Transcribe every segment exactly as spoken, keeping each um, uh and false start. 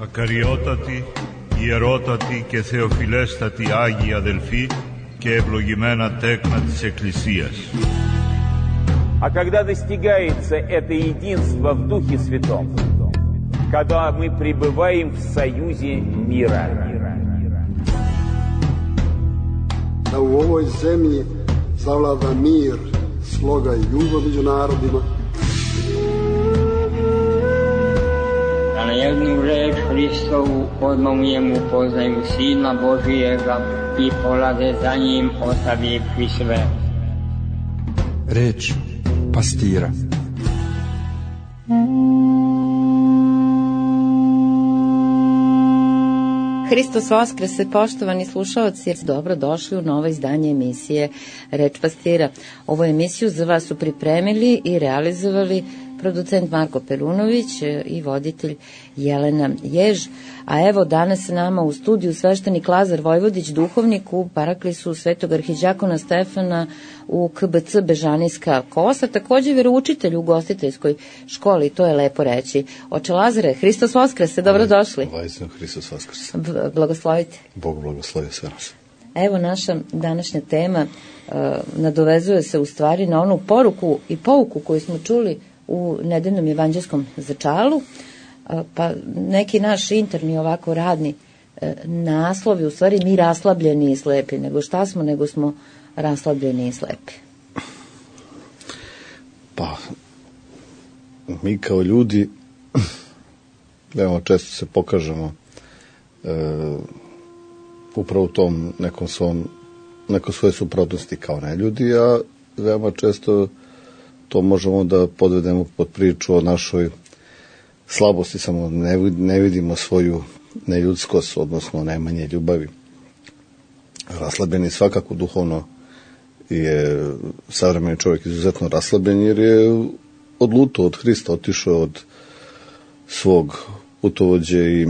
Ακαριότατοι, ιερότατοι και θεοφιλέστατοι Άγιοι αδελφοί και ευλογημένα τέκνα της Εκκλησίας. А когда достигается это единство в Духе Святом, когда мы пребываем в союзе мира. Da u ovoj zemlji zavlada mir, sloga i ljubav među narodima. Da na jednu reč Hristovu odmah mu poznaju Sina Božijega i polade za njim ostavivši sve. Reč pastira. Hristos Vaskrese, poštovani slušaoci, dobro došli u novo izdanje emisije Reč pastira. Ovu emisiju za vas su pripremili i realizovali producent Marko Perunović i voditelj Jelena Jež. A evo danas s nama u studiju sveštenik Lazar Vojvodić, duhovnik u Paraklisu Svetog arhiđakona Stefana u K B C Bežanijska Kosa, takođe veroučitelj u ugostiteljskoj školi, to je lepo reći. Oče Lazare, Hristos Vaskrese, dobrodošli. Vajzno, Hristos Vaskrese. B- blagoslovite. Bog blagoslovio sve nas. Evo naša današnja tema uh, nadovezuje se u stvari na onu poruku i pouku koju smo čuli u nedeljnom evanđelskom začalu, pa neki naš interni ovako radni naslovi, u stvari mi raslabljeni i slepi, nego šta smo, nego smo raslabljeni i slepi. Pa, mi kao ljudi veoma često se pokažemo e, upravo u tom nekom svom, neko svoje suprotnosti kao neljudi, a veoma često to možemo da podvedemo pod priču o našoj slabosti, samo ne, ne vidimo svoju neljudskost, odnosno najmanje ljubavi. Raslabljeni svakako duhovno je savremeni čovjek izuzetno raslabljen, jer je odlutao od Hrista, otišao od svog putovođe i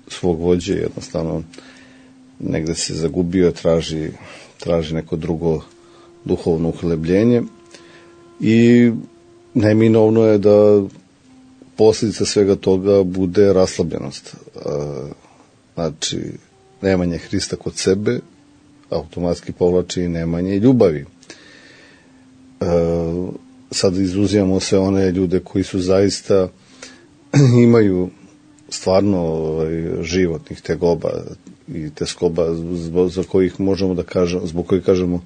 svog vođe, jednostavno negde se zagubio, traži, traži neko drugo duhovno uhlebljenje. I neminovno je da posljedica svega toga bude raslabljenost. Znači, nemanje Hrista kod sebe automatski povlači i nemanje ljubavi. Sad izuzimamo sve one ljude koji su zaista imaju stvarno životnih tegoba i teskoba za kojih možemo da kažemo, zbog kojih kažemo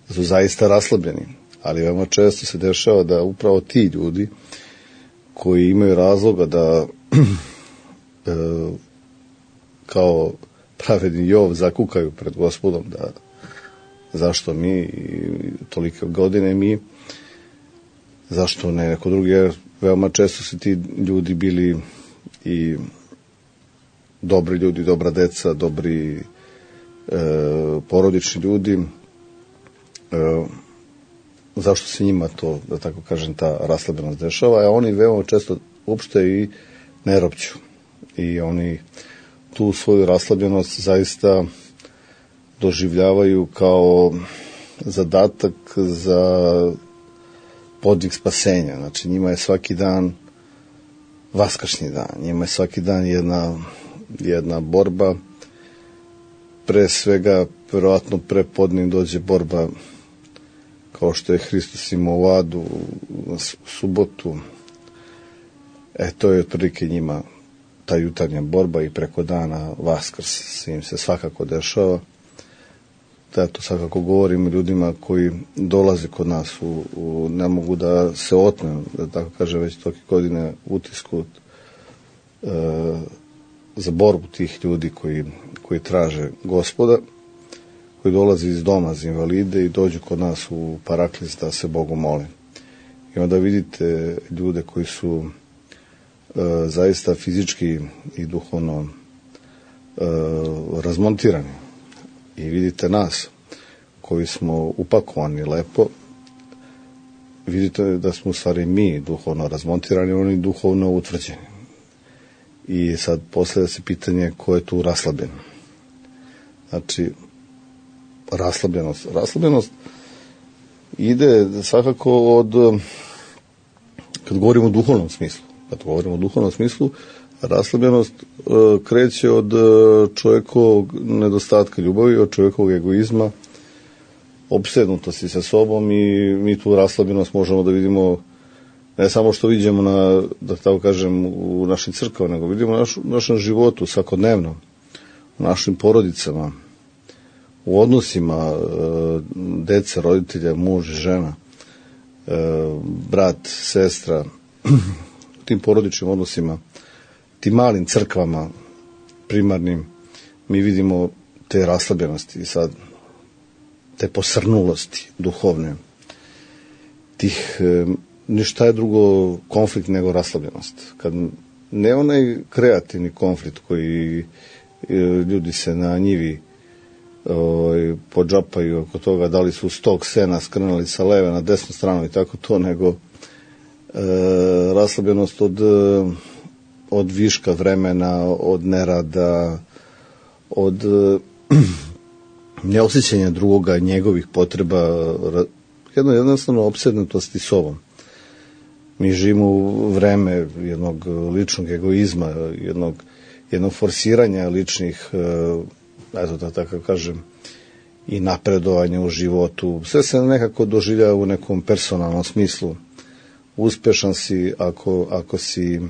da su zaista raslabljeni. Ali veoma često se dešava da upravo ti ljudi koji imaju razloga da e, kao pravedni Jov zakukaju pred Gospodom da zašto mi tolike godine mi, zašto ne neko drugi, jer veoma često su ti ljudi bili i dobri ljudi, dobra deca, dobri e, porodični ljudi, e, zašto se njima to, da tako kažem, ta raslabljenost dešava, a oni veoma često uopšte i ne ropću. I oni tu svoju raslabljenost zaista doživljavaju kao zadatak za podvig spasenja. Znači, njima je svaki dan vaskršnji dan, njima je svaki dan jedna, jedna borba, pre svega, verovatno pre podne dođe borba kao što je Hristos imao u adu, u subotu. E, to je otprilike njima ta jutarnja borba i preko dana Vaskrs im se svakako dešava. Da, to svakako govorim ljudima koji dolaze kod nas, u, u, ne mogu da se otmem, da tako kaže, već toki godine utisku e, za borbu tih ljudi koji, koji traže Gospoda, koji dolazi iz doma za invalide i dođu kod nas u Paraklis da se Bogu mole. I onda vidite ljude koji su e, zaista fizički i duhovno e, razmontirani. I vidite nas koji smo upakovani lepo, vidite da smo u stvari mi duhovno razmontirani, oni duhovno utvrđeni. I sad postavlja se pitanje ko je tu raslabljen. Znači, raslabljenost. Raslabljenost ide svakako od, kad govorimo o duhovnom smislu, kad govorimo o duhovnom smislu, Raslabljenost e, kreće od e, čovjekovog nedostatka ljubavi, od čovjekovog egoizma, opsednutosti sa sobom, i mi tu raslabljenost možemo da vidimo ne samo što vidimo na, da tako kažem, u našim crkvama, nego vidimo naš, u našem životu svakodnevno, u našim porodicama, u odnosima e, dece, roditelja, muž i žena, e, brat, sestra, u tim porodičnim odnosima, tim malim crkvama primarnim, mi vidimo te raslabljenosti i sad te posrnulosti duhovne, tih, e, ništa je drugo konflikt nego raslabljenost. Kad ne onaj kreativni konflikt koji e, ljudi se na njivi ovaj, podžapaju oko toga da li su stok sena skrnali sa leve na desnu stranu i tako to, nego e, raslabljenost od, od viška vremena, od nerada, od e, neosjećanja drugoga, njegovih potreba, jedno jednostavno opsednutosti sobom. Mi živimo u vreme jednog ličnog egoizma, jednog, jednog forsiranja ličnih, eto da tako kažem, i napredovanja u životu. Sve se nekako doživljava u nekom personalnom smislu. Uspešan si ako, ako si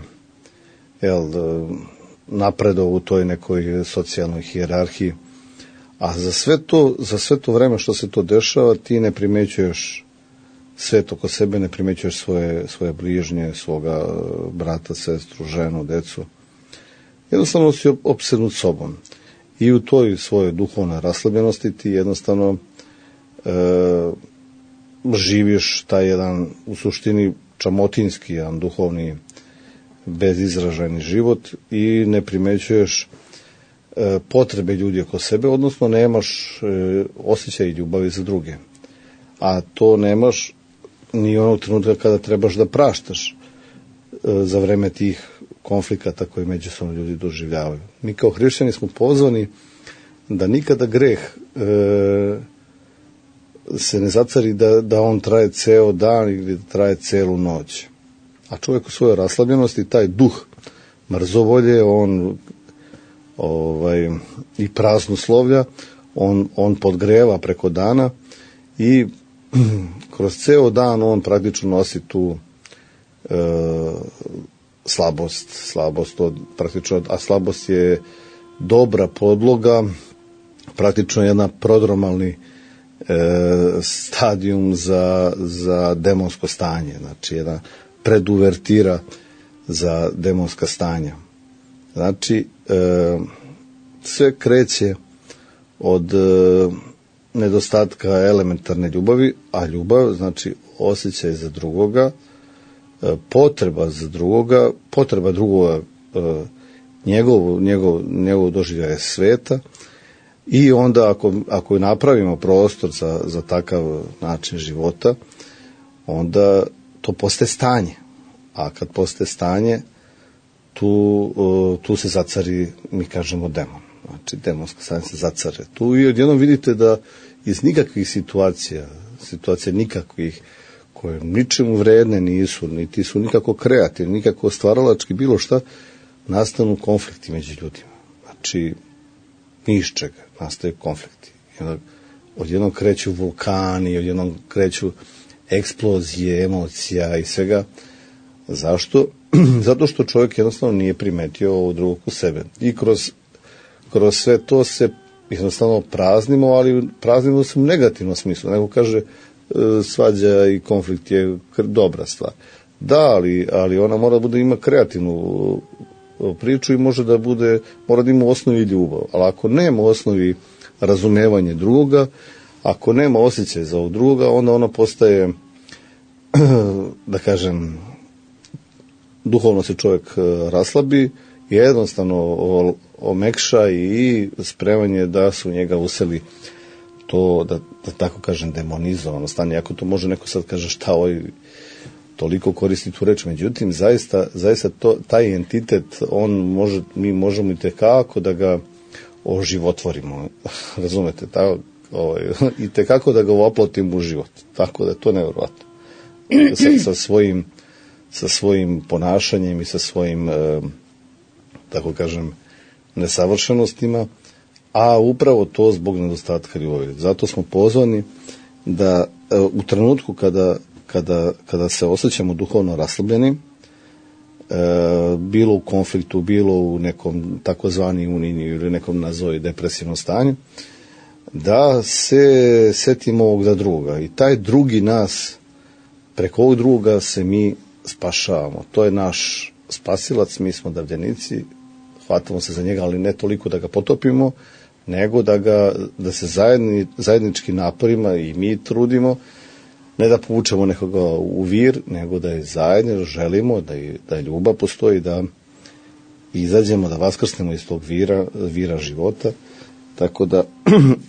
jel, napredovao u toj nekoj socijalnoj hijerarhiji. A za sve to, za sve to vreme što se to dešava, ti ne primećuješ svet oko sebe, ne primećuješ svoje, svoje bližnje, svoga brata, sestru, ženu, decu. Jednostavno si opsednut sobom. I u toj svojoj duhovnoj raslabljenosti ti jednostavno e, živiš taj jedan, u suštini, čamotinski, jedan duhovni, bezizražajni život i ne primećuješ e, potrebe ljudi oko sebe, odnosno nemaš e, osjećaj ljubavi za druge. A to nemaš ni onog trenutka kada trebaš da praštaš e, za vreme tih konflikata koji međusobno ljudi doživljavaju. Mi kao hrišćani smo pozvani da nikada greh e, se ne zacari da, da on traje ceo dan ili da traje celu noć. A čovjek u svojoj raslabljenosti, taj duh mrzovolje, on ovaj, i praznoslovlja, on, on podgreva preko dana i kroz ceo dan on praktično nosi tu e, slabost, slabost od, praktično, a slabost je dobra podloga, praktično jedna prodromalni e, stadijum za, za demonsko stanje, znači jedna preduvertira za demonska stanja. Znači, e, sve kreće od e, nedostatka elementarne ljubavi, a ljubav znači osjećaj za drugoga, potreba za drugoga, potreba drugoga, njegov, njegov, njegov doživljaj sveta, i onda ako, ako napravimo prostor za, za takav način života, onda to postaje stanje. A kad postaje stanje, tu, tu se zacari, mi kažemo, demon. Znači, demonska stanje se zacare. Tu i odjednom vidite da iz nikakvih situacija, situacija nikakvih, koje ničemu vredne nisu, niti su nikako kreativni, nikako stvaralački, bilo šta, nastanu konflikti među ljudima. Znači, ni iz čega nastaju konflikti. Odjednom kreću vulkani, odjednom kreću eksplozije, emocija i svega. Zašto? Zato što čovjek jednostavno nije primetio ovo drugog u sebe. I kroz, kroz sve to se jednostavno praznimo, ali praznimo se u negativnom smislu. Neko kaže, svađa i konflikt je dobra stvar. Da, ali, ali ona mora da bude, ima kreativnu priču i može da bude, mora da ima u osnovi ljubav. Ali ako nema u osnovi razumevanje drugoga, ako nema osjećaj za ovog drugoga, onda ona postaje, da kažem, duhovno se čovjek raslabi, jednostavno omekša i spremanje da se u njega useli to, da, da tako kažem, demonizovano stanje. Ako to može neko sad kaže šta ovaj toliko koristi tu reč, međutim zaista, zaista to, taj entitet, on može, mi možemo i tekako da ga oživotvorimo, razumete, tako, ovaj, i tekako da ga oplotimo u život, tako da je to nevjerovatno. Sa, sa svojim sa svojim ponašanjem i sa svojim e, tako kažem, nesavršenostima, a upravo to zbog nedostatka ljubavi. Zato smo pozvani da u trenutku kada, kada, kada se osjećamo duhovno raslabljeni, bilo u konfliktu, bilo u nekom takozvani uniji ili nekom nazovi depresivnom stanju, da se setimo ovog za druga. I taj drugi nas, preko ovog druga se mi spašavamo. To je naš spasilac, mi smo davljenici, hvatamo se za njega, ali ne toliko da ga potopimo, nego da ga, da se zajedni, zajednički naporima i mi trudimo, ne da povučemo nekoga u vir, nego da je zajedno želimo, da je, da je ljubav postoji, da izađemo, da vaskrsnemo iz tog vira, vira života. Tako da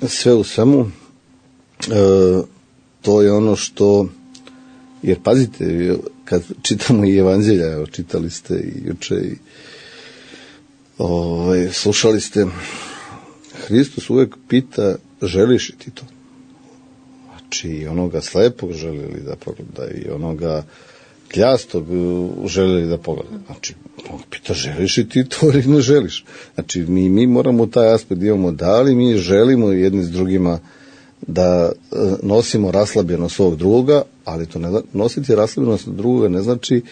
sve u svemu, e, to je ono što, jer pazite, kad čitamo i evanđelja, evo, čitali ste i juče i ovaj, slušali ste, Hristos uvek pita, želiš ti to? Znači, i onoga slepog želili da pogleda, i onoga kljastog želeli da pogleda. Znači, on pita, želiš i ti to ili ne želiš? Znači, mi, mi moramo taj aspekt imamo, da li mi želimo jedni s drugima da nosimo raslabljenost svog druga, ali to ne, nositi raslabljenost drugoga ne znači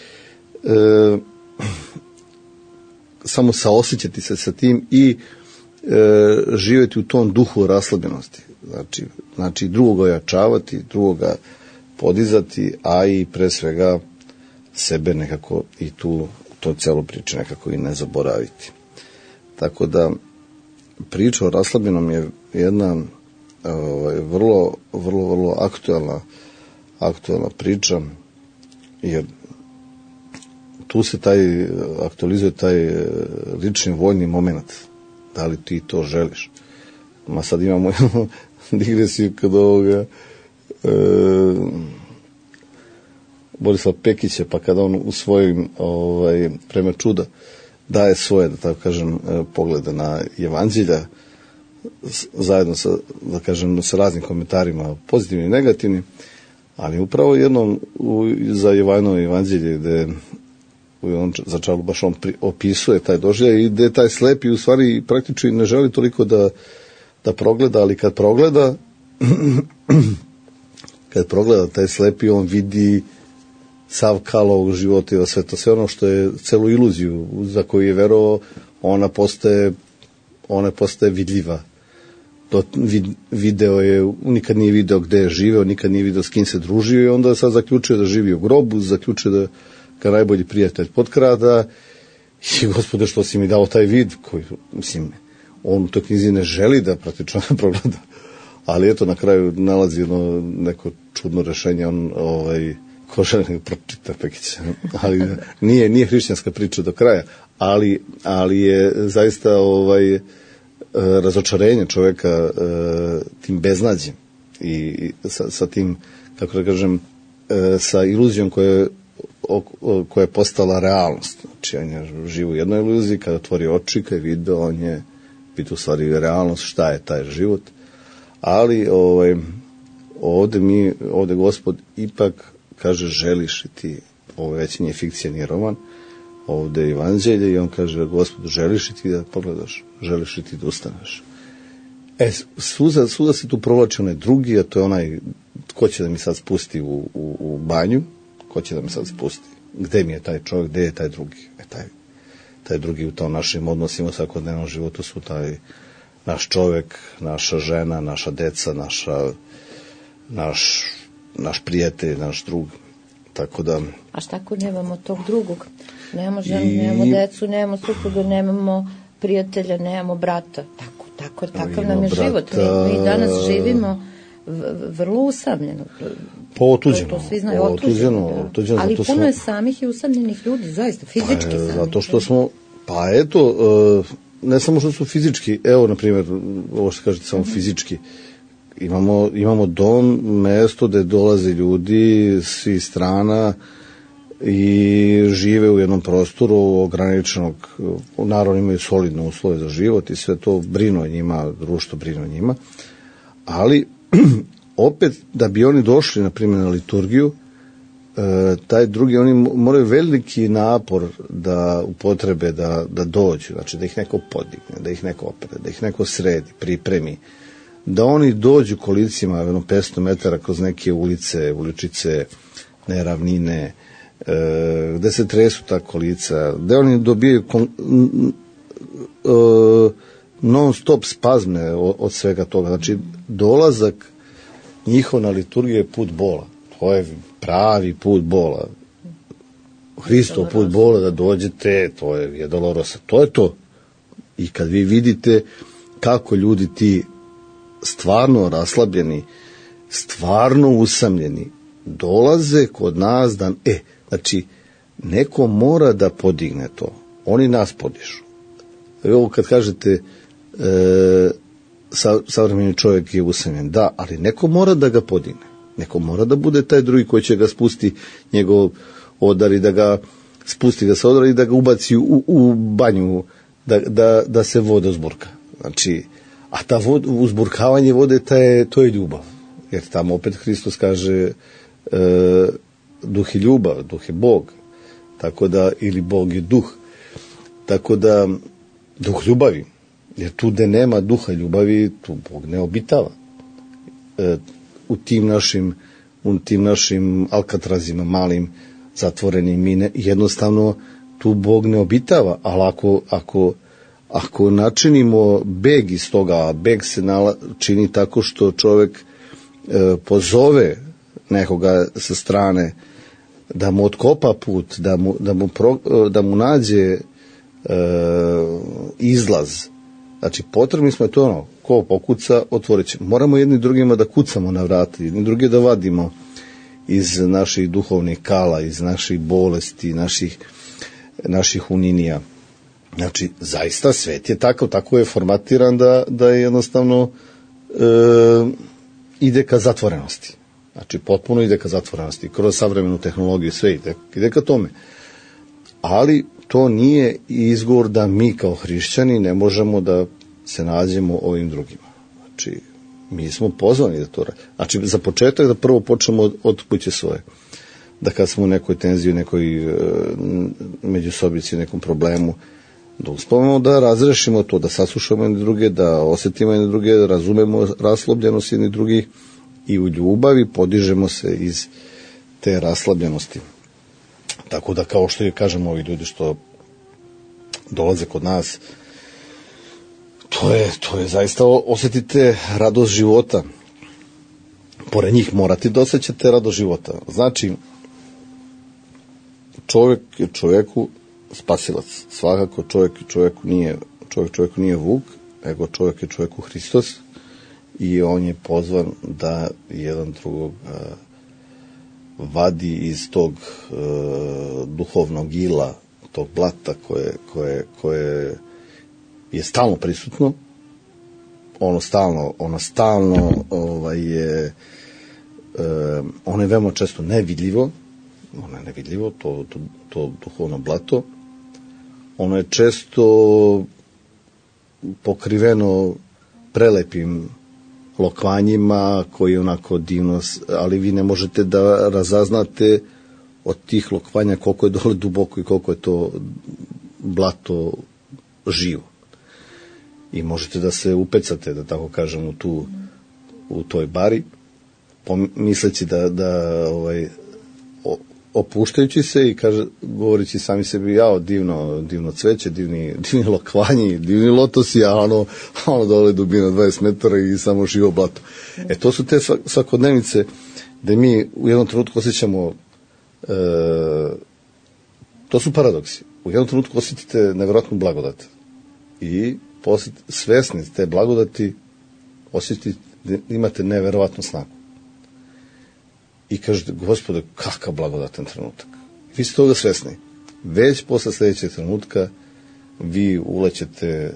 e, samo saosjećati se sa tim i e, živjeti u tom duhu raslabljenosti. Znači, znači drugoga ojačavati, drugoga podizati, a i pre svega sebe nekako i tu to celo priče nekako i ne zaboraviti. Tako da priča o raslabljenom je jedna ovaj, vrlo, vrlo, vrlo aktuelna, aktuelna priča, jer tu se taj, aktualizuje taj lični voljni moment. Da li ti to želiš? Ma sad imamo digresiju kod ovoga e, Borislava Pekića, pa kada on u svojim ovaj, prema čuda daje svoje, da tako kažem, poglede na evanđelja zajedno sa, da kažem, sa raznim komentarima, pozitivnim i negativnim, ali upravo jednom u, za Jovanovo evanđelje gde on za čalu baš on pri, opisuje taj doživljaj i gde taj slepi u stvari praktično ne želi toliko da, da progleda, ali kad progleda kad progleda taj slepi, on vidi sav kal ovog života i sve to, sve ono što je celu iluziju za koju je verovao, ona postaje ona postaje vidljiva. To vid, video je, nikad nije video gde je živeo, nikad nije video s kim se družio i onda je sad zaključio da živi u grobu, zaključio da kao najbolji prijatelj potkrada i Gospode, što si mi dao taj vid koji, mislim, on u toj knjizi ne želi da praktično progleda, ali eto na kraju nalazi jedno neko čudno rešenje, on ovaj, ko želi nego pročita Pekića, ali nije, nije hrišćanska priča do kraja, ali, ali je zaista ovaj, razočarenje čoveka tim beznađem i sa, sa tim, kako da kažem, sa iluzijom koja je, koja je postala realnost. Znači, on je živ u jednoj iluziji, kada otvori oči, kada je video, on je vidio u stvari realnost, šta je taj život. Ali ovaj, ovde mi, ovde Gospod ipak kaže, želiš li ti, ovo već nije fikcija, nije roman, ovde je evanđelje i on kaže, Gospod, želiš li ti da pogledaš, želiš li ti da ustaneš. E, suza, suza se tu provlači onaj drugi, a to je onaj, ko će da mi sad spusti u, u, u banju, ko će da mi sad spusti, gde mi je taj čovjek, gde je taj drugi, e, taj, taj drugi u tom našim odnosima, u svakodnevnom životu su taj naš čovjek, naša žena, naša deca, naša, naš, naš prijatelj, naš drug, tako da... A šta ako nemamo tog drugog? Nemamo ženu, i... nemamo decu, nemamo supruga, nemamo prijatelja, nemamo brata. Tako, tako, takav nam je brata... život. Mi, mi danas živimo vrlo usamljeno. Po otuđeno. To, to svi znaju, otuđeno. otuđeno, otuđeno ali puno smo... je samih i usamljenih ljudi, zaista, fizički pa, samih. Zato što smo, pa eto, ne samo što su fizički, evo, na primjer, ovo što kažete, samo mm-hmm. fizički, imamo, imamo dom, mesto gde dolaze ljudi svi strana i žive u jednom prostoru ograničenog, naravno imaju solidne uslove za život i sve to brinu o njima, društvo brinu o njima, ali opet da bi oni došli na primjer na liturgiju, taj drugi, oni moraju veliki napor da upotrebe, da, da dođu, znači da ih neko podigne, da ih neko opere, da ih neko sredi, pripremi, da oni dođu kolicima jedno petsto metara kroz neke ulice, uličice, neravnine, e, gde se tresu ta kolica, gde oni dobijaju kon, e, non stop spazme od, od svega toga. Znači dolazak njihov na liturgiju je put bola. To je pravi put bola. Hristov put bola, da dođete, to je, je dolorosa. To je to. I kad vi vidite kako ljudi ti stvarno raslabljeni, stvarno usamljeni, dolaze kod nas da, e, znači, neko mora da podigne to. Oni nas podižu. Evo kad kažete e, sa, savremeni čovjek je usamljen, da, ali neko mora da ga podigne. Neko mora da bude taj drugi koji će ga spusti njegov odar i da ga spusti ga sa odara i da ga ubaci u, u banju, da, da, da se voda uzburka. Znači, a ta vod, uzburkavanje vode, ta je, to je ljubav. Jer tamo opet Hristos kaže e, duh je ljubav, duh je Bog. Tako da, ili Bog je duh. Tako da, duh ljubavi. Jer tu gde nema duha ljubavi, tu Bog ne obitava. E, u tim našim, u tim našim alkatrazima malim, zatvorenim, mi ne, jednostavno tu Bog ne obitava, ali ako, ako, ako načinimo beg iz toga, a beg se nala, čini tako što čovjek e, pozove nekoga sa strane da mu otkopa put, da mu, da mu, pro, da mu nađe e, izlaz. Znači, potrebni smo, to ono, ko pokuca, otvorit će. Moramo jedni drugima da kucamo na vrata, jedni drugi da vadimo iz naših duhovnih kala, iz naših bolesti, naših, naših uninija. Znači, zaista svet je takav, tako je formatiran da, da je jednostavno e, ide ka zatvorenosti. Znači, potpuno ide ka zatvorenosti. Kroz savremenu tehnologiju sve ide, ide ka tome. Ali to nije izgovor da mi kao hrišćani ne možemo da se nađemo ovim drugima. Znači, mi smo pozvani da to radimo. Znači, za početak da prvo počnemo od, od kuće svoje. Da kad smo u nekoj tenziji, nekoj e, međusobici, nekom problemu, da uspavamo da razrešimo to, da saslušamo jedne druge, da osjetimo jedne druge, da razumemo raslobljenost jedne drugih i u ljubavi podižemo se iz te raslabljenosti. Tako da, kao što je kažemo ovi ljudi što dolaze kod nas, to je, to je zaista, osjetite radost života. Pored njih morate da osjećate radost života. Znači, čovjek je čovjeku spasilac. Svakako čovjek čovjeku nije, čovjek čovjeku nije Vuk, nego čovjek je čovjeku Hristos i on je pozvan da jedan drugog uh, vadi iz tog uh, duhovnog ila, tog blata koje, koje, koje je stalno prisutno. Ono stalno, ono stalno ovaj, je uh, ono je veoma često nevidljivo, ono je nevidljivo, to, to, to duhovno blato. Ono je često pokriveno prelepim lokvanjima koji onako divno, ali vi ne možete da razaznate od tih lokvanja koliko je dole duboko i koliko je to blato živo. I možete da se upecate, da tako kažem, u, tu, u toj bari, misleći da, da ovaj, opuštajući se i kaže, govorići sami sebi, jao, divno, divno cveće, divni, divni lokvanji, divni lotosi, a ono, ono dole dubina dvadeset metara i samo živo blato. E, to su te svakodnevnice gde mi u jednom trenutku osjećamo, e, to su paradoksi. U jednom trenutku osjetite nevjerojatnu blagodat i posjet, svesni te blagodati osjetite, imate nevjerojatnu snagu. I kažete, Gospode, kakav blagodatan trenutak. Vi ste toga svesni. Već posle sljedećeg trenutka vi ulećete,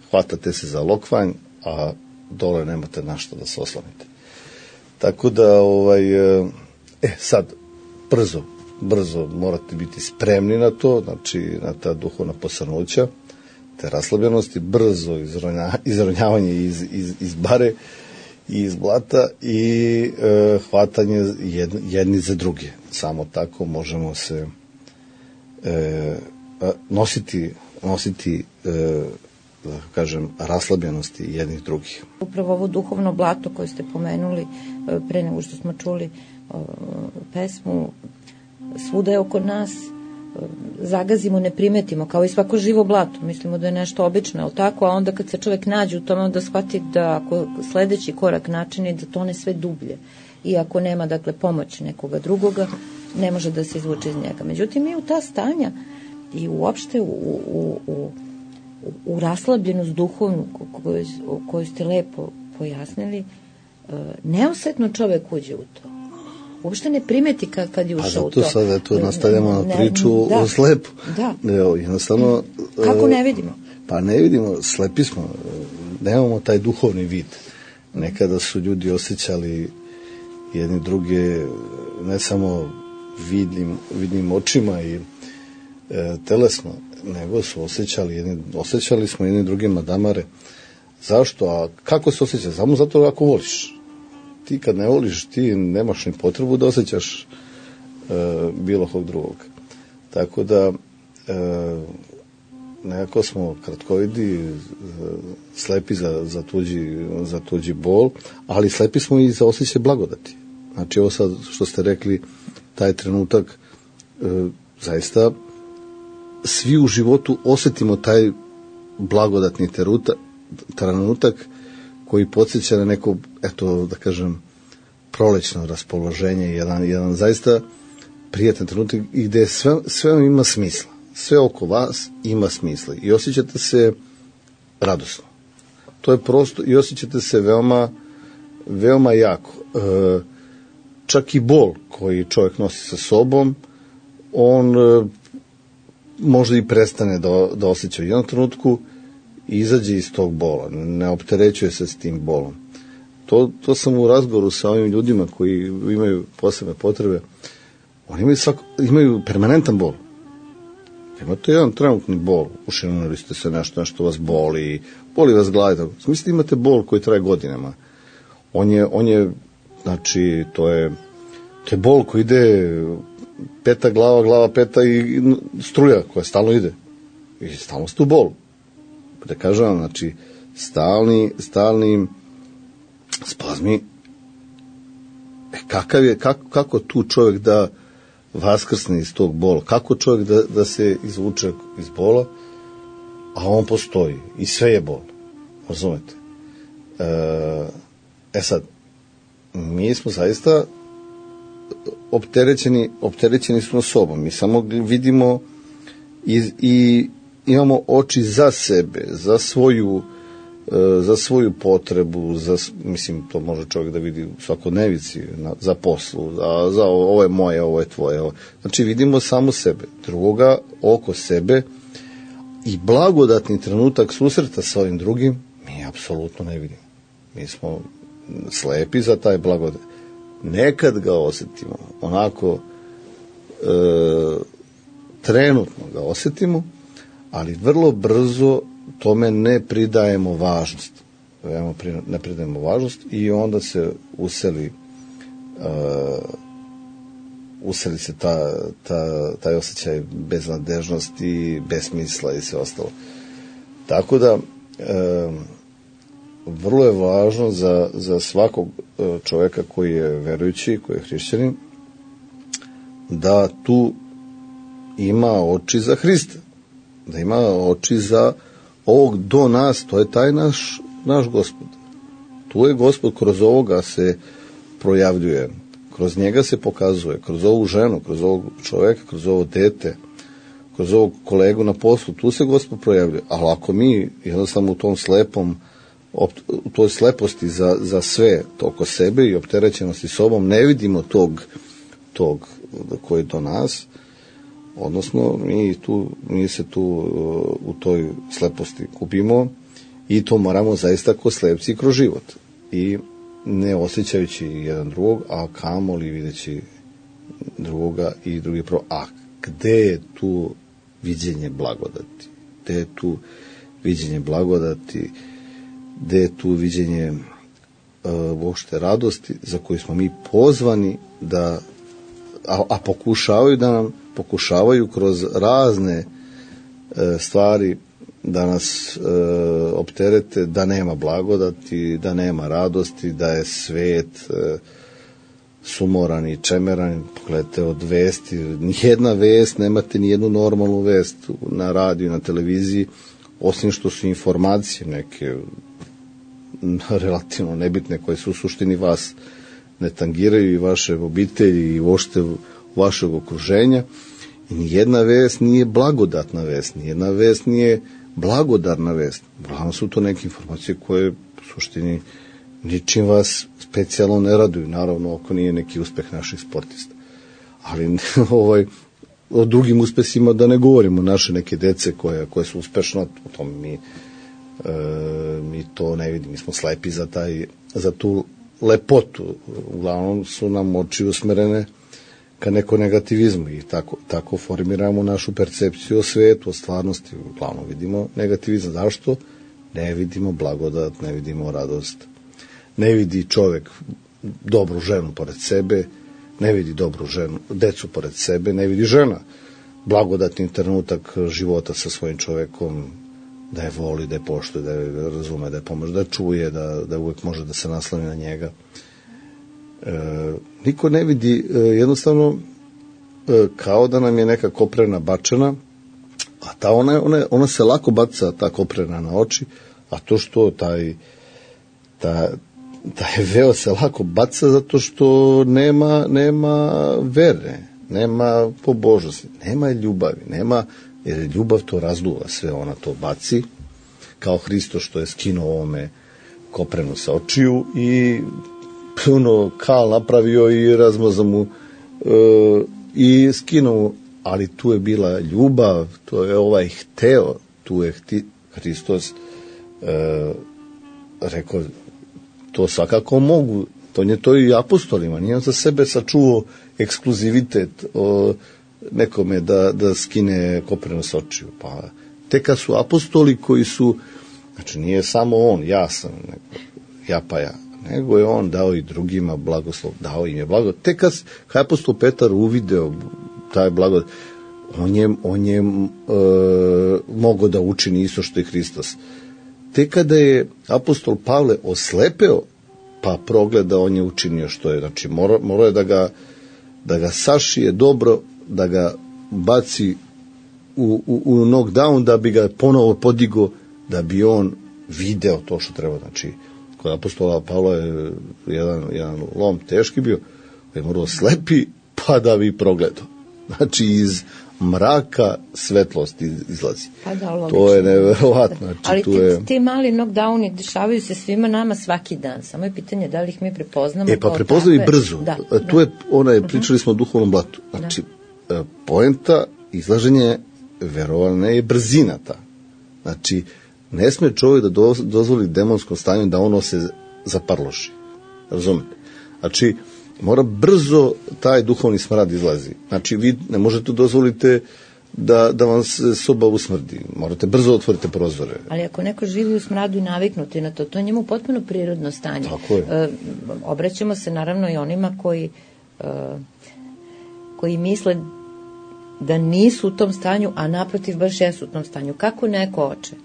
hvatate se za lokvanj, a dole nemate na što da se oslonite. Tako da, ovaj, e, sad, brzo, brzo morate biti spremni na to, znači na ta duhovna posrnuća, te raslabljenosti, brzo izronja, izronjavanje iz, iz, iz bare i iz blata i e, hvatanje jedni, jedni za druge. samo tako možemo se e, nositi, nositi e, da kažem, raslabljenosti jednih drugih. Upravo ovo duhovno blato koje ste pomenuli pre nego što smo čuli o, pesmu, svuda je oko nas, zagazimo, ne primetimo, kao i svako živo blato, mislimo da je nešto obično, ali tako, a onda kad se čovjek nađe u tome, onda shvati da ako sledeći korak načini da tone sve dublje i ako nema, dakle, pomoć nekoga drugoga, ne može da se izvuče iz njega. Međutim, mi u ta stanja i uopšte u, u, u, u raslabljenost duhovnu koju, koju ste lepo pojasnili, neosetno čovjek uđe u to. Uopšte ne primeti kad, kad je ušao u to. A zato sada tu nastavljamo na priču da, o slepu. Da. Evo, jednostavno... Kako ne vidimo? Pa ne vidimo, slepi smo, nemamo taj duhovni vid. Nekada su ljudi osjećali jedni druge ne samo vidnim, vidnim očima i e, telesno, nego su osjećali, jedni, osjećali smo jedni drugima damare. Zašto? A kako se osjeća? Samo zato ako voliš. Ti kad ne voliš, ti nemaš ni potrebu da osjećaš e, bilo kog drugog. Tako da e, nekako smo kratkovidi, e, slepi za, za, tuđi, za tuđi bol, ali slepi smo i za osjećaj blagodati. Znači ovo sad što ste rekli, taj trenutak, e, zaista svi u životu osjetimo taj blagodatni teruta, trenutak koji podsjeća na neko, eto da kažem, prolećno raspoloženje, jedan, jedan zaista prijatan trenutak i gde sve, sve ima smisla. Sve oko vas ima smisla i osjećate se radosno. To je prosto i osjećate se veoma, veoma jako. E, čak i bol koji čovjek nosi sa sobom, on e, možda i prestane da, da osjeća u jednom trenutku i izađe iz tog bola, ne opterećuje se s tim bolom. To, to sam u razgovoru sa ovim ljudima koji imaju posebne potrebe, oni imaju, svako, imaju permanentan bol. Imate jedan trenutni bol, ušinuli ste se nešto, nešto vas boli, boli vas glava. Mislite, imate bol koji traje godinama. On je, on je, znači, to je, to je bol koji ide peta glava, glava peta i struja koja stalno ide. I stalno ste u bolu. Da kažem vam, znači, stalni, stalni spazmi. E, kakav je, kako, kako tu čovjek da vaskrsne iz tog bola? Kako čovjek da, da se izvuče iz bola? A on postoji. I sve je bol. Razumete? E, e sad, mi smo zaista opterećeni, opterećeni smo sobom. Mi samo vidimo i, i imamo oči za sebe, za svoju, za svoju potrebu, za, mislim, to može čovjek da vidi u svakodnevici, na, za poslu, za, za ovo je moje, ovo je tvoje. Ovo. Znači, vidimo samo sebe, drugoga oko sebe i blagodatni trenutak susreta sa ovim drugim mi apsolutno ne vidimo. Mi smo slepi za taj blagodat. Nekad ga osjetimo, onako e, trenutno ga osjetimo, ali vrlo brzo tome ne pridajemo važnost. Ne pridajemo važnost i onda se useli uh, useli se ta, ta, taj osjećaj beznadežnosti, besmisla i sve ostalo. Tako da uh, vrlo je važno za, za svakog čovjeka koji je verujući, koji je hrišćanin, da tu ima oči za Hrista, da ima oči za ovog do nas, to je taj naš, naš Gospod. Tu je Gospod, kroz ovoga se projavljuje, kroz njega se pokazuje, kroz ovu ženu, kroz ovog čovjeka, kroz ovo dete, kroz ovog kolegu na poslu, tu se Gospod projavljuje. Ali ako mi jednostavno u tom slepom, u toj sleposti za, za sve to oko sebe i opterećenosti sobom ne vidimo tog, tog koji je do nas, odnosno mi, tu, mi se tu u toj sleposti kupimo i to moramo zaista ko slepci kroz život i ne osjećajući jedan drugog, a kamoli videći drugoga i drugi prvo. A gde je tu viđenje blagodati? Gde je tu viđenje blagodati? Gde je tu viđenje uh, uopšte radosti za koju smo mi pozvani da a, a pokušavaju da nam pokušavaju kroz razne e, stvari da nas e, opterete, da nema blagodati, da nema radosti, da je svet e, sumoran i čemeran. Pogledajte od vesti, nijedna vest, nemate ni jednu normalnu vest na radiju, na televiziji, osim što su informacije neke relativno nebitne koje su u suštini vas ne tangiraju i vaše obitelji i uopšte vašeg okruženja. I nijedna vest nije blagodatna vest, nijedna vest nije blagodarna vest. Uglavnom su to neke informacije koje u suštini ničim vas specijalno ne raduju, naravno ako nije neki uspeh naših sportista. Ali ovaj, o drugim uspesima da ne govorimo, naše neke dece koje, koje su uspešno, o tome mi, e, mi to ne vidimo, mi smo slepi za, taj, za tu lepotu. Uglavnom su nam oči usmerene ka neko negativizmu i tako, tako formiramo našu percepciju o svetu, o stvarnosti. Uglavnom vidimo negativizam. Zašto? Ne vidimo blagodat, ne vidimo radost. Ne vidi čovek dobru ženu pored sebe, ne vidi dobru ženu, decu pored sebe, ne vidi žena blagodatni trenutak života sa svojim čovekom, da je voli, da je poštuje, da je razume, da je pomože, da čuje, da, da uvek može da se nasloni na njega. E, niko ne vidi, e, jednostavno e, kao da nam je neka koprena bačena, a ta ona, ona, ona se lako baca, ta koprena na oči, a to što taj ta, taj veo se lako baca zato što nema, nema vere, nema pobožnosti, nema ljubavi, nema, jer ljubav to razduva sve, ona to baci, kao Hristo što je skinuo ovome koprenu sa očiju i puno kal napravio i razmazao mu e, i skinuo, ali tu je bila ljubav, to je ovaj hteo, tu je hti, Hristos e, rekao, to svakako mogu, to je to i apostolima, nije on za sebe sačuvao ekskluzivitet o nekome da, da skine koprenu sa očiju, pa tek kad su apostoli koji su, znači nije samo on, ja sam, nego, ja pa ja, nego je on dao i drugima blagoslov, dao im je blagoslov. Tek kad je apostol Petar uvideo taj blagoslov, on je, on je e, mogao da učini isto što i Hristos. Tek kada je apostol Pavle oslepeo, pa progleda, on je učinio što je, znači morao mora je da ga, da ga sašije dobro, da ga baci u, u, u knockdown, da bi ga ponovo podigo, da bi on video to što treba. Znači, kod apostola Pavla je jedan, jedan lom teški bio, je morao slepi, pa da bi progledao. Znači, iz mraka svetlost izlazi. Pa da, to je neverovatno. Znači, ali tu ti, je... ti mali knockdowni dešavaju se svima nama svaki dan. Samo je pitanje da li ih mi prepoznamo. E, pa prepoznaju brzo. Da, tu da. je, ona je, pričali smo o duhovnom blatu. Znači, da. Poenta izlaženja verovana je brzina ta. Znači, ne sme čovjek da dozvoli demonskom stanju da ono se zaparloši. Razumete? Znači, mora brzo taj duhovni smrad izlazi. Znači, vi ne možete dozvolite da, da vam se soba usmrdi. Morate brzo otvorite prozore. Ali ako neko živi u smradu i naviknuti na to, to je njemu potpuno prirodno stanje. Tako je. E, obraćamo se naravno i onima koji, e, koji misle da nisu u tom stanju, a naprotiv baš jesu u tom stanju. Kako neko oče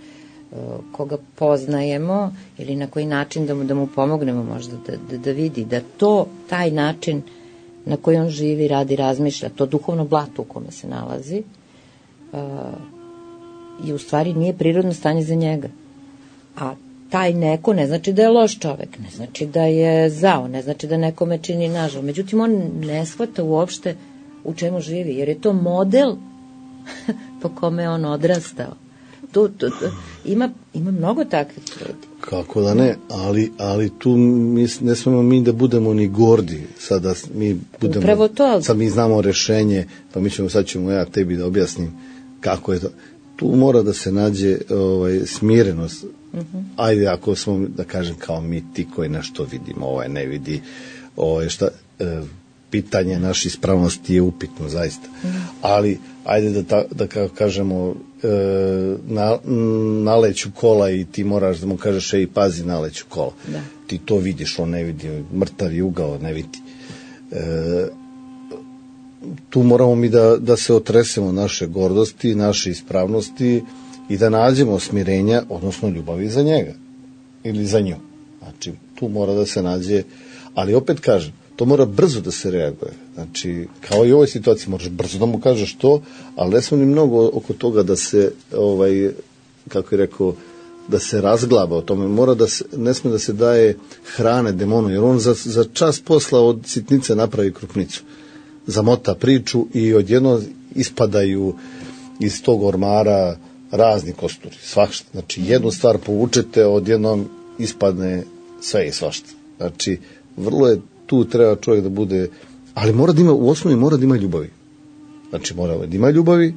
koga poznajemo ili na koji način da mu, da mu pomognemo možda da, da, da vidi da to, taj način na koji on živi, radi, razmišlja, to duhovno blato u kome se nalazi uh, i u stvari nije prirodno stanje za njega. A taj neko ne znači da je loš čovek, ne znači da je zao, ne znači da nekome čini nažal. Međutim, on ne shvata uopšte u čemu živi, jer je to model po kome je on odrastao. Tu, tu, tu. Ima, ima mnogo takvih ljudi. Kako da ne, ali, ali tu mi, ne smemo mi da budemo ni gordi. Sada mi budemo, upravo to. Sad mi znamo rešenje, pa mi ćemo, sad ćemo ja tebi da objasnim kako je to. Tu mora da se nađe ovaj, smirenost. Uh-huh. Ajde, ako smo, da kažem, kao mi ti koji nešto vidimo, ovaj ne vidi, ovaj, šta, e, pitanje naše ispravnosti je upitno, zaista. Uh-huh. Ali, ajde da, ta, da kako kažemo, Na, naleću kola i ti moraš da mu kažeš ej pazi naleću kola, da. Ti to vidiš, on ne vidi, mrtav je ugao, ne vidi. E, tu moramo mi da, da se otresemo naše gordosti, naše ispravnosti i da nađemo smirenja, odnosno ljubavi za njega ili za nju. Znači, tu mora da se nađe, ali opet kažem, to mora brzo da se reaguje. Znači, kao i u ovoj situaciji, moraš brzo da mu kažeš to, ali ne smo ni mnogo oko toga da se, ovaj, kako je rekao, da se razglaba o tome. Mora da se, ne sme da se daje hrane demonu, jer on za, za čas posla od sitnice napravi krupnicu. Zamota priču i odjedno ispadaju iz tog ormara razni kosturi, svašta. Znači, jednu stvar povučete, odjednom ispadne sve i svašta. Znači, vrlo je tu treba čovjek da bude, ali mora da ima, u osnovi mora da ima ljubavi. Znači, mora da ima ljubavi,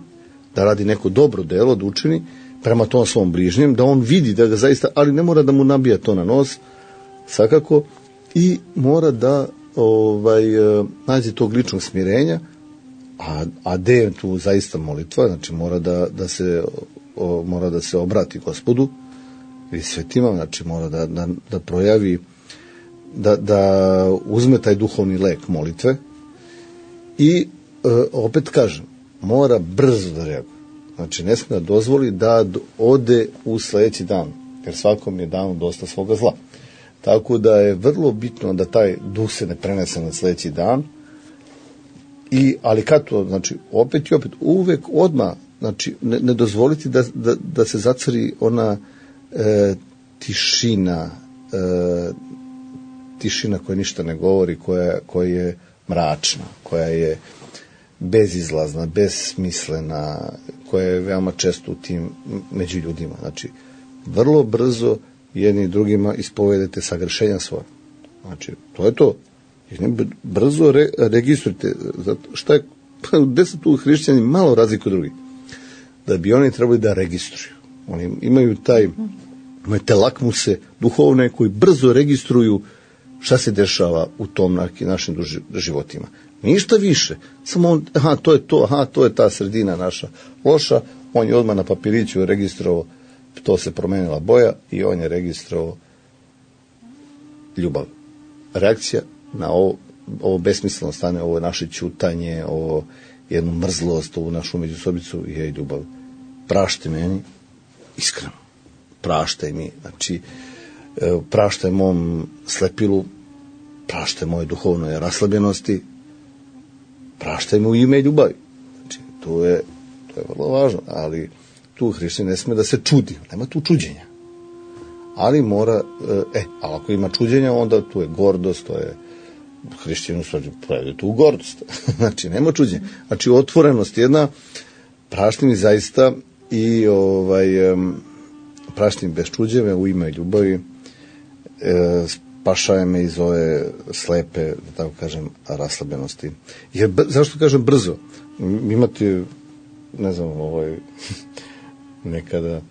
da radi neko dobro delo, da učini prema tom svom bližnjem, da on vidi da ga zaista, ali ne mora da mu nabija to na nos, svakako, i mora da ovaj, nađe tog ličnog smirenja, a, a gde je tu zaista molitva, znači mora da, da se o, mora da se obrati Gospodu i svetima, znači mora da, da, da projavi, da, da uzme taj duhovni lek molitve i e, opet kažem, mora brzo da reaguje. Znači ne smije da dozvoli da ode u sledeći dan, jer svakom je danu dosta svoga zla. Tako da je vrlo bitno da taj duh se ne prenese na sledeći dan. I, ali kad to, znači, opet i opet, uvek odmah, znači, ne, ne dozvoliti da, da, da se zacari ona e, tišina, e, tišina koja ništa ne govori, koja, koja je mračna, koja je bezizlazna, besmislena, koja je veoma često u tim među ljudima. Znači, vrlo brzo jedni i drugima ispovedete sagrešenja svoje. Znači, to je to. Brzo re, registrujte. Šta je, gde su tu hrišćani malo razliku od drugih? Da bi oni trebali da registruju. Oni imaju taj, imaju te lakmuse duhovne koji brzo registruju šta se dešava u tom našim životima. Ništa više. Samo on, aha, to je to, aha, to je ta sredina naša loša. On je odmah na papiriću registrovao, to se promenila boja i on je registrovao ljubav. Reakcija na ovo, ovo besmisleno stane, ovo naše ćutanje, ovo jednu mrzlost, ovu našu međusobicu je ljubav. Prašte meni, iskreno. Praštaj mi, znači, praštaj mom slepilu, praštaj moje duhovnoj raslabljenosti, praštaj mu u ime ljubavi. Znači, to je, to je vrlo važno, ali tu hrišćanin ne sme da se čudi, nema tu čuđenja. Ali mora, e, ali ako ima čuđenja, onda tu je gordost, to je hrišćanin projavi tu gordost. Znači, nema čuđenja. Znači, otvorenost jedna, prašti mi zaista i ovaj, prašti mi bez čuđeve u ime ljubavi, e, spašaje me iz ove slepe, da tako kažem, raslabenosti. Jer, zašto kažem brzo? Imate, ne znam, ovaj, nekada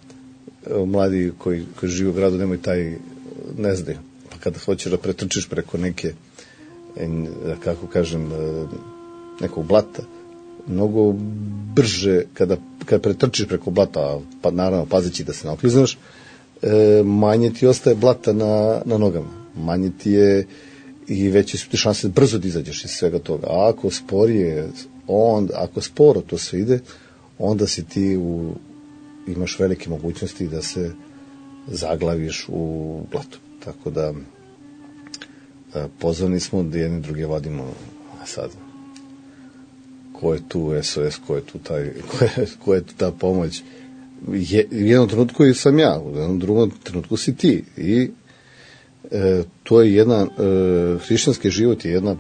mladi koji, koji žive u gradu nemaju taj, ne znaju, pa kada hoćeš da pretrčiš preko neke, kako kažem, nekog blata, mnogo brže kada, kada pretrčiš preko blata, pa naravno pazeći da se ne okliznaš, manje ti ostaje blata na, na nogama, manje ti je i veće su ti šanse brzo da izađeš iz svega toga. A ako sporije, on, ako sporo to sve ide, onda si ti u, imaš velike mogućnosti da se zaglaviš u blatu. Tako da pozvani smo da jedni druge vadimo. A sad, ko je tu S O S, ko je tu, taj, ko je, ko je tu ta pomoć? Je, u jednom trenutku sam ja, u jednom drugom trenutku si ti. I e, to je jedna, e, hrišćanski život je jedna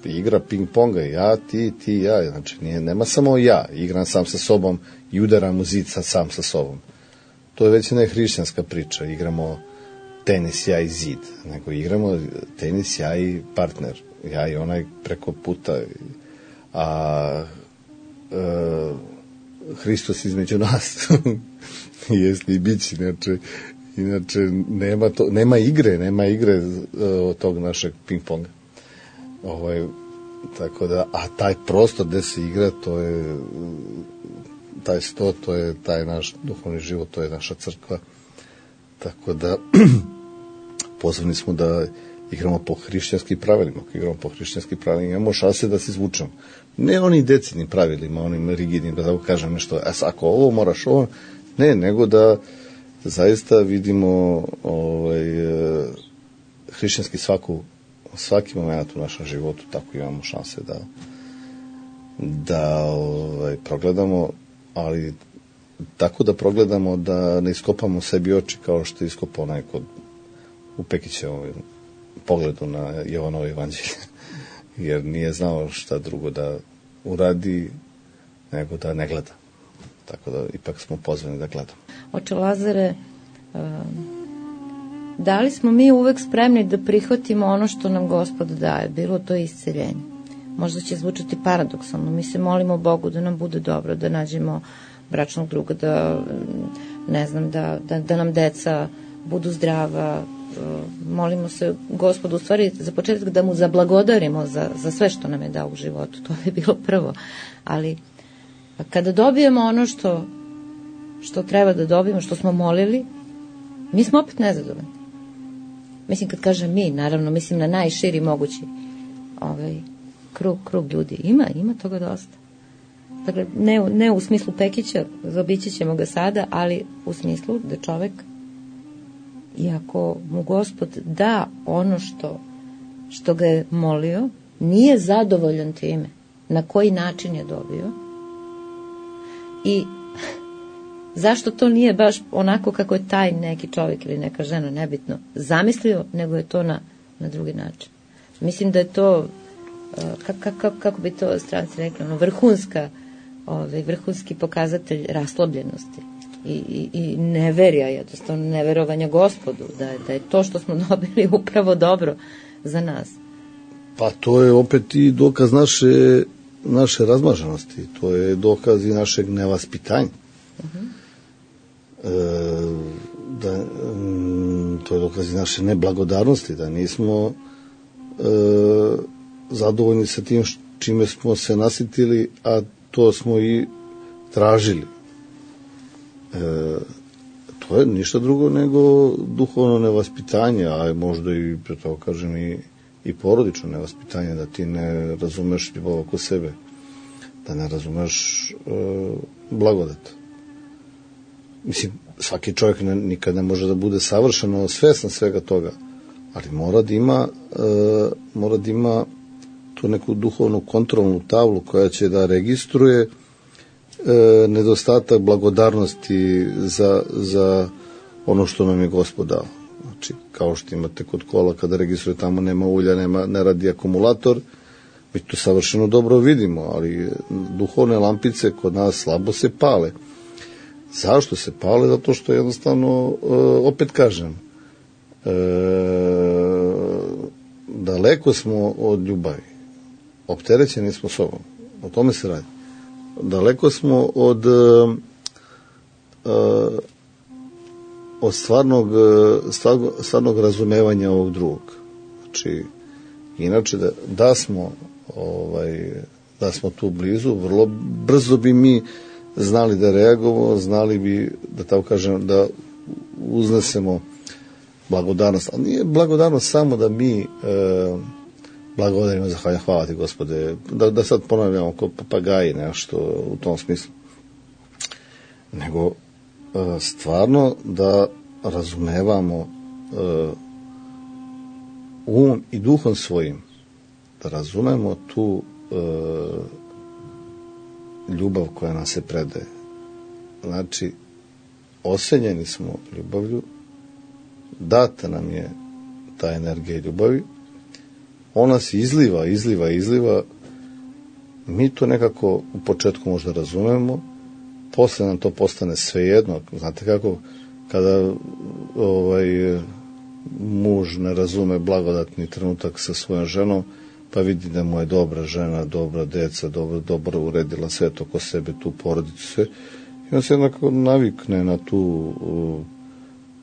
igra ping-ponga, ja, ti, ti, ja. Znači, nije, nema samo ja, igram sam sa sobom i udaram u zid sam sa sobom. To je već jedna hrišćanska priča, igramo tenis, ja i zid, nego igramo tenis, ja i partner, ja i onaj preko puta, a e, Hristos između nas jest i bići, inače, inače nema, to, nema igre, nema igre od tog našeg ping-ponga. Ovaj, tako da, a taj prostor gde se igra, to je taj sto, to je taj naš duhovni život, to je naša crkva. Tako da pozvani smo da igramo po hrišćanskim pravilima. Ako igramo po hrišćanskim pravilima, imamo šanse da se izvučemo. Ne onim decidnim pravilima, onim rigidnim, da tako kažem nešto, a ako ovo moraš ovo, ne, nego da zaista vidimo ovaj, hrišćanski svaku, svaki moment u našem životu, tako imamo šanse da da ovaj, progledamo, ali tako da progledamo da ne iskopamo sebi oči kao što je iskopao onaj kod u Pekićevom pogledu na Jovanovo evanđelje, jer nije znao šta drugo da uradi nego da ne gleda. Tako da ipak smo pozvani da gledamo. Oče Lazare, da li smo mi uvek spremni da prihvatimo ono što nam Gospod daje, bilo to isceljenje? Možda će zvučati paradoksalno, mi se molimo Bogu da nam bude dobro, da nađemo bračnog druga, da ne znam, da, da, da nam deca budu zdrava, molimo se Gospodu, u stvari za početak da mu zablagodarimo za, za sve što nam je dao u životu, to je bilo prvo, ali kada dobijemo ono što, što treba da dobijemo, što smo molili, mi smo opet nezadovoljni. Mislim, kad kažem mi, naravno, mislim na najširi mogući ovaj, krug, krug ljudi. Ima, ima toga dosta. Dakle, ne, ne u smislu Pekića, zaobići ćemo ga sada, ali u smislu da čovek, iako mu Gospod da ono što, što ga je molio, nije zadovoljan time na koji način je dobio i zašto to nije baš onako kako je taj neki čovjek ili neka žena, nebitno, zamislio, nego je to na, na drugi način. Mislim da je to, kako, kako, kako bi to stranci rekli, ono, vrhunska, ovaj, vrhunski pokazatelj raslobljenosti i, i, i neverja, jednostavno neverovanja Gospodu, da je, da je to što smo dobili upravo dobro za nas. Pa to je opet i dokaz naše, naše razmaženosti, to je dokaz i našeg nevaspitanja. Uh-huh. E, da, to je dokaz i naše neblagodarnosti, da nismo e, zadovoljni sa tim čime smo se nasitili, a to smo i tražili. E, to je ništa drugo nego duhovno nevaspitanje, a možda i, pre toga kažem, i, i porodično nevaspitanje, da ti ne razumeš ljubav oko sebe, da ne razumeš e, blagodat. Mislim, svaki čovjek ne, nikad ne može da bude savršeno svestan svega toga, ali mora da ima, e, mora da ima tu neku duhovnu kontrolnu tablu koja će da registruje e, nedostatak blagodarnosti za, za ono što nam je Gospod dao. Znači, kao što imate kod kola, kada registruje tamo nema ulja, nema, ne radi akumulator, mi to savršeno dobro vidimo, ali duhovne lampice kod nas slabo se pale. Zašto se pale? Zato što jednostavno, e, opet kažem, e, daleko smo od ljubavi. Opterećeni smo sobom. O tome se radi. Daleko smo od, e, od stvarnog, stvarnog, stvarnog razumevanja ovog drugog. Znači, inače, da, da smo ovaj, da smo tu blizu, vrlo brzo bi mi znali da reagujemo, znali bi, da tako kažem, da uznesemo blagodarnost. Ali nije blagodarnost samo da mi e, blagodarimo, zahvaljujem, hvala ti Gospode, da, da sad ponavljamo kao papagaji nešto u tom smislu. Nego e, stvarno da razumevamo e, umom i duhom svojim, da razumemo tu e, ljubav koja nam se predaje. Znači, osenjeni smo ljubavlju, data nam je ta energija ljubavi, ona se izliva, izliva, izliva, mi to nekako u početku možda razumemo, posle nam to postane svejedno. Znate kako, kada ovaj, muž ne razume blagodatni trenutak sa svojom ženom, pa vidi da mu je dobra žena, dobra deca, dobro, dobro uredila sve to oko sebe, tu porodicu, sve. I on se jednako navikne na tu,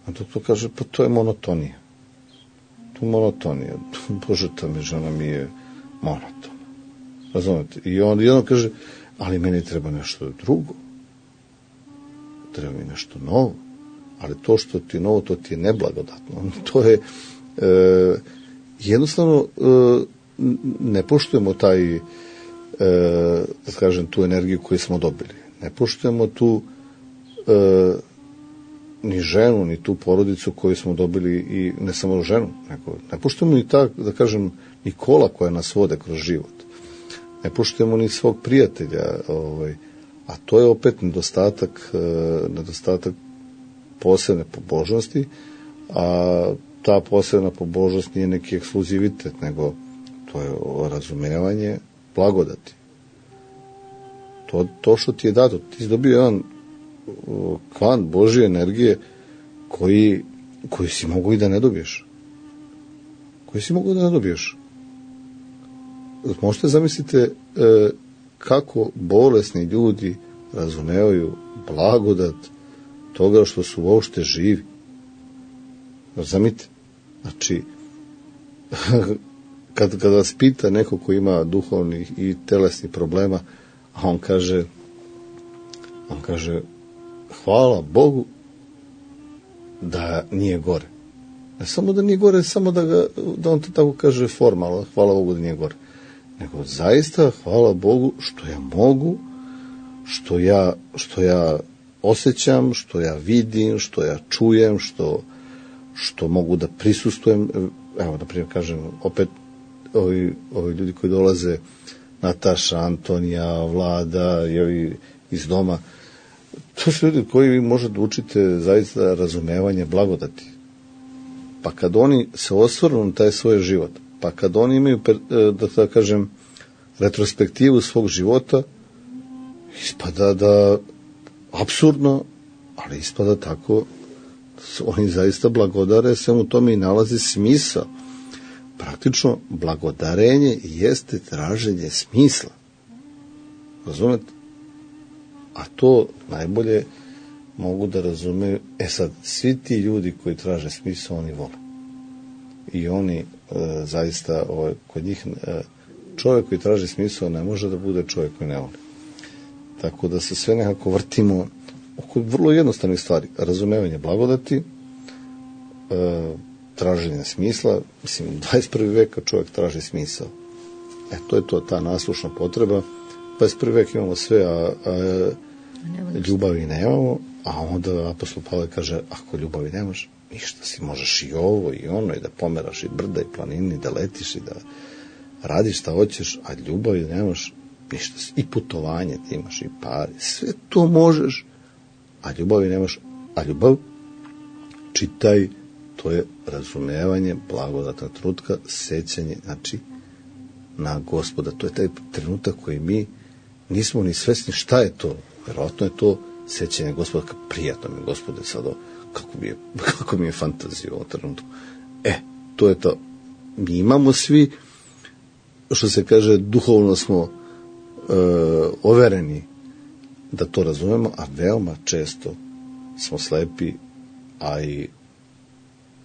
na to, to kaže, pa to je monotonija. To je monotonija. Bože, ta mi žena mi je monotona. Razumete? I on jedno kaže, ali meni treba nešto drugo. Treba mi nešto novo. Ali to što ti je novo, to ti je neblagodatno. To je... E, jednostavno ne poštujemo taj, da kažem, tu energiju koju smo dobili. Ne poštujemo tu ni ženu, ni tu porodicu koju smo dobili, i ne samo ženu, nego ne poštujemo ni ta, da kažem, ni kola koja nas vode kroz život. Ne poštujemo ni svog prijatelja, ovaj, a to je opet nedostatak, nedostatak posebne pobožnosti, a ta posebna pobožnost nije neki ekskluzivitet, nego to je razumevanje blagodati. To, to što ti je dato, ti si dobio jedan kvant Božje energije koji, koji si mogu i da ne dobiješ. Koji si mogu da ne dobiješ. Možete zamislite e, kako bolesni ljudi razumevaju blagodat toga što su uopšte živi. Razumite? Znači, kad, kad vas pita neko ko ima duhovnih i telesnih problema, a on kaže, on kaže, hvala Bogu da nije gore. Ne samo da nije gore, samo da, ga, da on to tako kaže formalno, hvala Bogu da nije gore. Nego zaista hvala Bogu što ja mogu, što ja, što ja osjećam, što ja vidim, što ja čujem, što, što mogu da prisustvujem. Evo, na primjer, kažem, opet ovi, ovi ljudi koji dolaze, Nataša, Antonija, Vlada i ovi iz doma, to su ljudi koji vi možete učite zaista razumevanje blagodati. Pa kad oni se osvrnu na taj svoj život, pa kad oni imaju, da tako kažem, retrospektivu svog života, ispada da, apsurdno, ali ispada tako, oni zaista blagodare, sve u tome i nalazi smisao. Praktično, blagodarenje jeste traženje smisla. Razumete? A to najbolje mogu da razumeju, e sad, svi ti ljudi koji traže smisao, oni vole. I oni e, zaista, ovaj, kod njih, e, čovjek koji traži smisao ne može da bude čovjek koji ne voli. Tako da se sve nekako vrtimo oko vrlo jednostavnih stvari. Razumevanje blagodati, e, traženje smisla, mislim, u dvadeset prvi veka čovjek traži smisao. E, to je to, ta naslušna potreba. dvadeset prvi vek imamo sve, a, a ljubavi nemamo, a onda apostol Pavle kaže, ako ljubavi nemaš, ništa si, možeš i ovo i ono, i da pomeraš i brda i planini, da letiš i da radiš šta hoćeš, a ljubavi nemaš, ništa si. I putovanje ti imaš, i pare, sve to možeš, a ljubavi nemaš, a ljubav, čitaj, to je razumevanje, blagodatna trenutka, sećanje, znači, na Gospoda. To je taj trenutak koji mi nismo ni svesni šta je to. Vjerojatno je to sećanje Gospoda, kako prijatno mi je Gospode sad, kako mi je, kako mi je fantazija u ovom trenutku. E, to je to. Mi imamo svi, što se kaže, duhovno smo e, overeni da to razumemo, a veoma često smo slepi, a i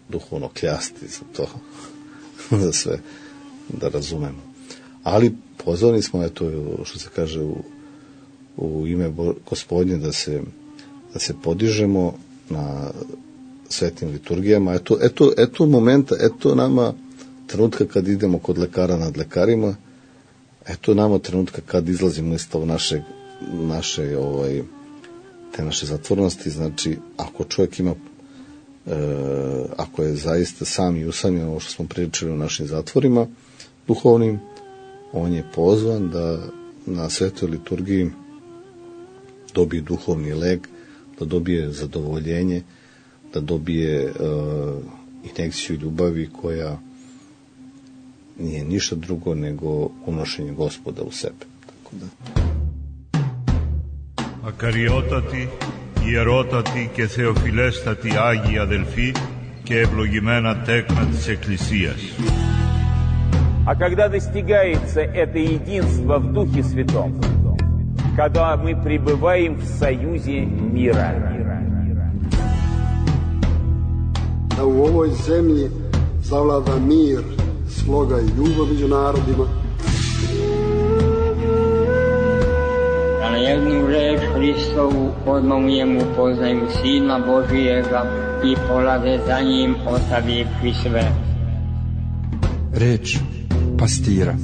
duhovno kljasti za to, za sve da razumemo. Ali pozvani smo, eto, što se kaže, u, u ime Gospodnje da se, da se podižemo na svetim liturgijama. Eto, eto, eto momenta, eto nama trenutka kad idemo kod lekara nad lekarima, eto nama trenutka kad izlazimo iz tog našeg, naše, ovaj, te naše zatvornosti. Znači, ako čovjek ima, e, ako je zaista sam i usamljen, ovo što smo pričali u našim zatvorima duhovnim, on je pozvan da na svetoj liturgiji dobije duhovni lek, da dobije zadovoljenje, da dobije uh, injekciju ljubavi koja nije ništa drugo nego unošenje Gospoda u sebe. Tako da. Ακαριότατη, ιερότατη και θεοφιλέστατη Άγιοι αδελφοί και ευλογημένα τέκνα της Εκκλησίας. А когда достигается это единство в Духе Святом, когда мы пребываем в союзе мира. Da u ovoj zemlji zavlada mir, sloga i ljubav među narodima. Da na jednu reč Hristovu odmah u njemu poznaju Sina Božijega i polade za njim ostavivši sve. Reč pastira.